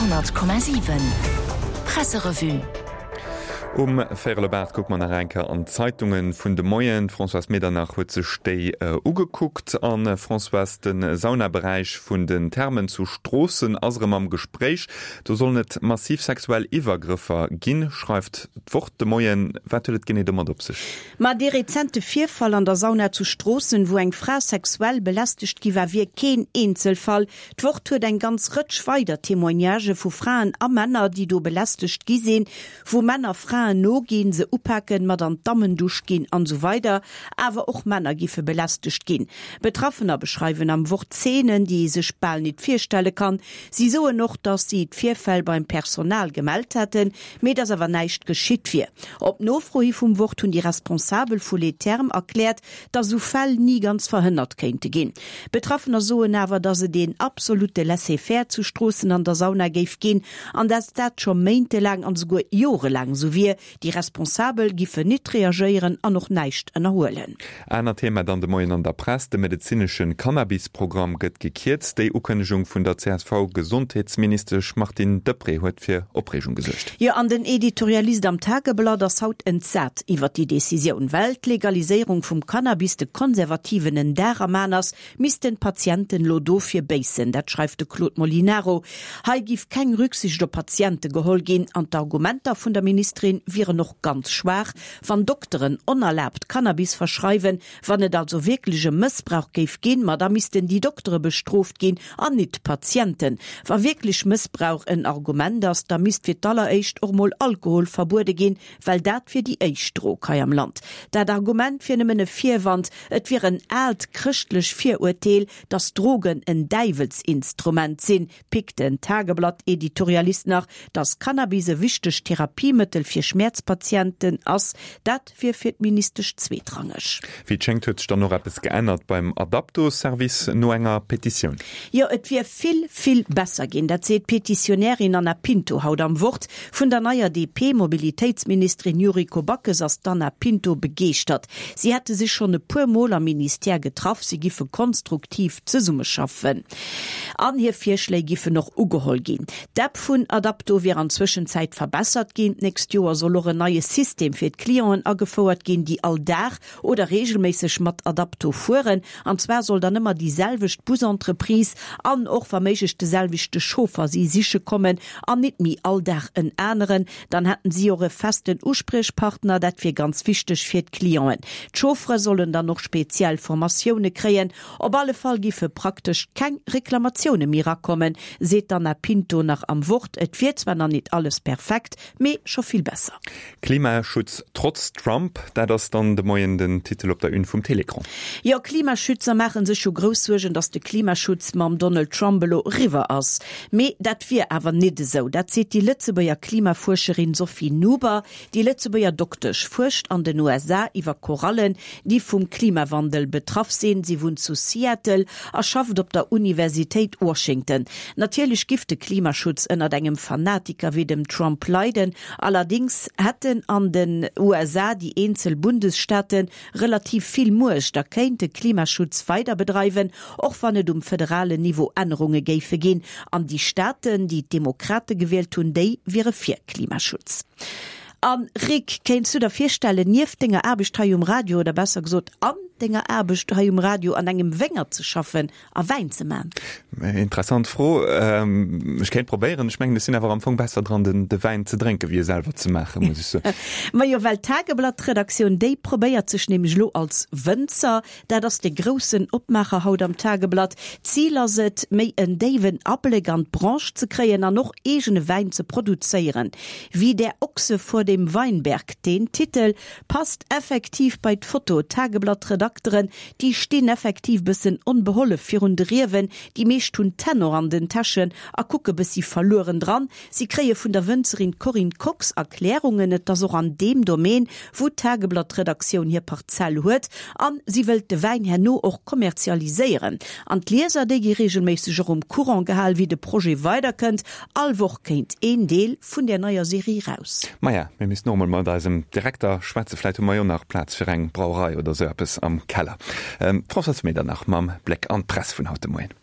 100,7 Presserevue. Um véierel op 8 kucke mer nach eng Kéier an d'Zeitunge vun de Moien. D'Françoise Medernach huet sech déi ugekuckt. A Françoise, de Saunaberäich vun den Thermen zu Stroossen ass erëm am Gespréich. Do sollen et massiv sexuell Iwwergrëffer ginn, schreift d'Wort de Moien. Wat huet et genee domat op sech? Ma dee rezente Virfall an der Sauna zu Stroossen, wou eng Fra sexuell belästegt gi war, wier keen Eenzelfall. D'Wort huet eng ganz Rëtsch weider Témoignagë vu Fraen a Männer, déi do belästegt gi sinn, wou Männer Fraen noginn, se upaken, mat an d'Dammendusch ginn an esou weider Awer och Männer giffe belästegt ginn. Betraffener beschreiwen am Wort Zeenen, déi ee sech bal nit virstelle kann. Si soen och, datt si d'Virfäll beim Personal gemellt hätten, mee dass awer näischt geschitt wier. Op Nofro hi vum Wort hunn déi Responsabel vu Les Thermes erkläert, dass esou Fäll ni ganz verhënnert kéinte ginn. Betraffener soen awer, dass et een absolutte Laisser-faire zu Stroossen an der Sauna géif ginn an dass dat scho méintelaang an esouguer jorelaang esou wier. Déi Responsabel giffen nit reagéieren an och näischt ënnerhuelen. Anert Thema dann de Moien an der Press, De medezinesche Cannabis-Programm gëtt gekierzt. Déi Ukënnegung vun der CSV-Gesondheetsministesch Martine Deprez huet fir Opreegung gesuergt. Jo, an den Editorialist am Tageblatt ass haut entsat iwwer déi Decisioun. Well d'Legaliséierung vum Cannabis de Konservativen en Dar am An ass, missten d'Patienten elo dofir béissen. Dat schreift de Claude Molinaro. Hei giff keng Rücksicht op Patiente geholl ginn an d'Argumenter vun der Ministerin wieren och ganz schwaach. Wann Dokteren onerlaabt Cannabis verschreiwen, wann et also wierklech e Mëssbrauch géif ginn, ma da missten déi Doktere bestrooft ginn an nit d'Patienten. Wa wierklech Mëssbrauch en Argument ass, da misst fir d'alleréischt och mol Alkohol verbuede ginn, well dat wier déi éischt Drog hei am Land. Dat Argument wier nëmmen e Virwand, et wier en aalt chrëschtlech Virurteel, datt Drogen en Däiwelsinstrument sinn, pickt den Tageblatt-Editorialist nach, Datt Cannabis e wichtegt Therapiemëttel fir Schmäerzpatienten ass, dat wier fir d'Ministesch zweetrangeg. Wéi et schéngt huet sech dann och eppes geännert beim Adapto-Service no enger Petitioun. Jo, et wier vill, vill besser ginn. Dat seet d'Petitionärin Anna Pinto haut am Wort. Vun der neier DP-Mobilitéitsministerin Yuriko Backes ass d'Anna Pinto begeeschtert. Si hätte sech schonn e puer Mol am Ministère getraff, si giffe konstruktiv zesummeschaffen an hir Virschléi giffen och ugeholl ginn. D'App vun Adapto wier an Zwëschenzäit verbessert ginn. D'nächst Joer soll och en neie System fir d'Clienten agefouert ginn, déi all Dag oder reegelméisseg mat Adapto fueren. An zwar soll dann ëmmer déi selwecht Busentreprise an och wa méiglech de selwechte Chauffer si siche kommen an nit méi all Dag en aneren. Dann hätten si och e festen Uspriechpartner. Dat wier ganz wichteg fir d'Clienten. D'Chauffere sollen dann och speziell Formatioune kréien. Op alle Fall giffe praktesch keng Reklamatioune méi rakommen, seet d'Anna Pinto nach am Wort. Et wier zwar nach nit alles perfekt, mee scho vill besser. Klimaschutz trotz Trump, dat ass dann de Moien den Titel op der Une vum Télécran. Jo, Klimaschützer maache sech jo grouss Suergen, datt de Klimaschutz mam Donald Trump elo eriwwer ass. Mee dat wier awer nit esou. Dat seet déi Lëtzebuerger Klimafuerscherin Sophie Nuber. Déi Lëtzebuerger Doktesch fuerscht an den USA iwwer Korallen, déi vum Klimawandel betraff sinn. Si wunnt zu Seattle a schafft op der Universitéit Washington. Natierlech giff de Klimaschutz ënnert engem Fanatiker wéi dem Trump leiden. Allerdings hätten an den USA déi eenzel Bundesstaate relativ vill Muecht a kéinte Klimaschutz weider bedreiwen, och wann et um federalen Niveau Ännerunge géife ginn. An déi Staaten, déi d'Demokrate gewielt hunn, déi wiere fir Klimaschutz. A Rick, kéints du der virstellen, nieft denger Aarbecht hei um Radio, oder besser gesot an denger Aarbecht hei um Radio, an engem Wéngert ze schaffen a Wäin ze man? Interessant Fro. Ech kéint probéieren. Ech mengen, ech sinn awer am Fong besser dran, den de Wäin ze drénken, wéi e selwer ze maachen, muss ech soen. Majo, well d'Tageblatt-Redaktioun, déi probéiert sech nämlech elo als Wënzer. Dat ass de groussen Opmaacher haut am Tageblatt. D'Zil ass et, méi en déiwen Abléck an d'Branche ze kréien an och eegene Wäin ze produzéieren. Wie der Ochse vor dem Weinberg, deen Titel passt effektiv bei d'Foto. D'Tageblatt-Redakteren, déi stinn effektiv bëssen onbehollef virun de Riewen. Déi meescht hunn d'Hänn och an den Täschen a kucke bëssi verlueren dran. Si kréie vun der Wënzerin Corinne Kox Erklärungen. Et ass och an deem Domaine, wou d'Tageblatt-Redaktioun hir Parzell huet. A si wëllt de Wäin herno och kommerzialiséieren. An d'Lieser, déi gi reegelméisseg och um Courant gehal, wéi de Projet weiderkënnt. All Woch kéint een Deel vun där neier Serie raus. Maja, mir missten och mol mat eisem Direkter schwätzen. Vläit hu mer jo nach Plaz fir eng Brauerei oder sou eppes am Keller. D'Françoise Medernach mam Bléck an d'Press vun haut de Moien.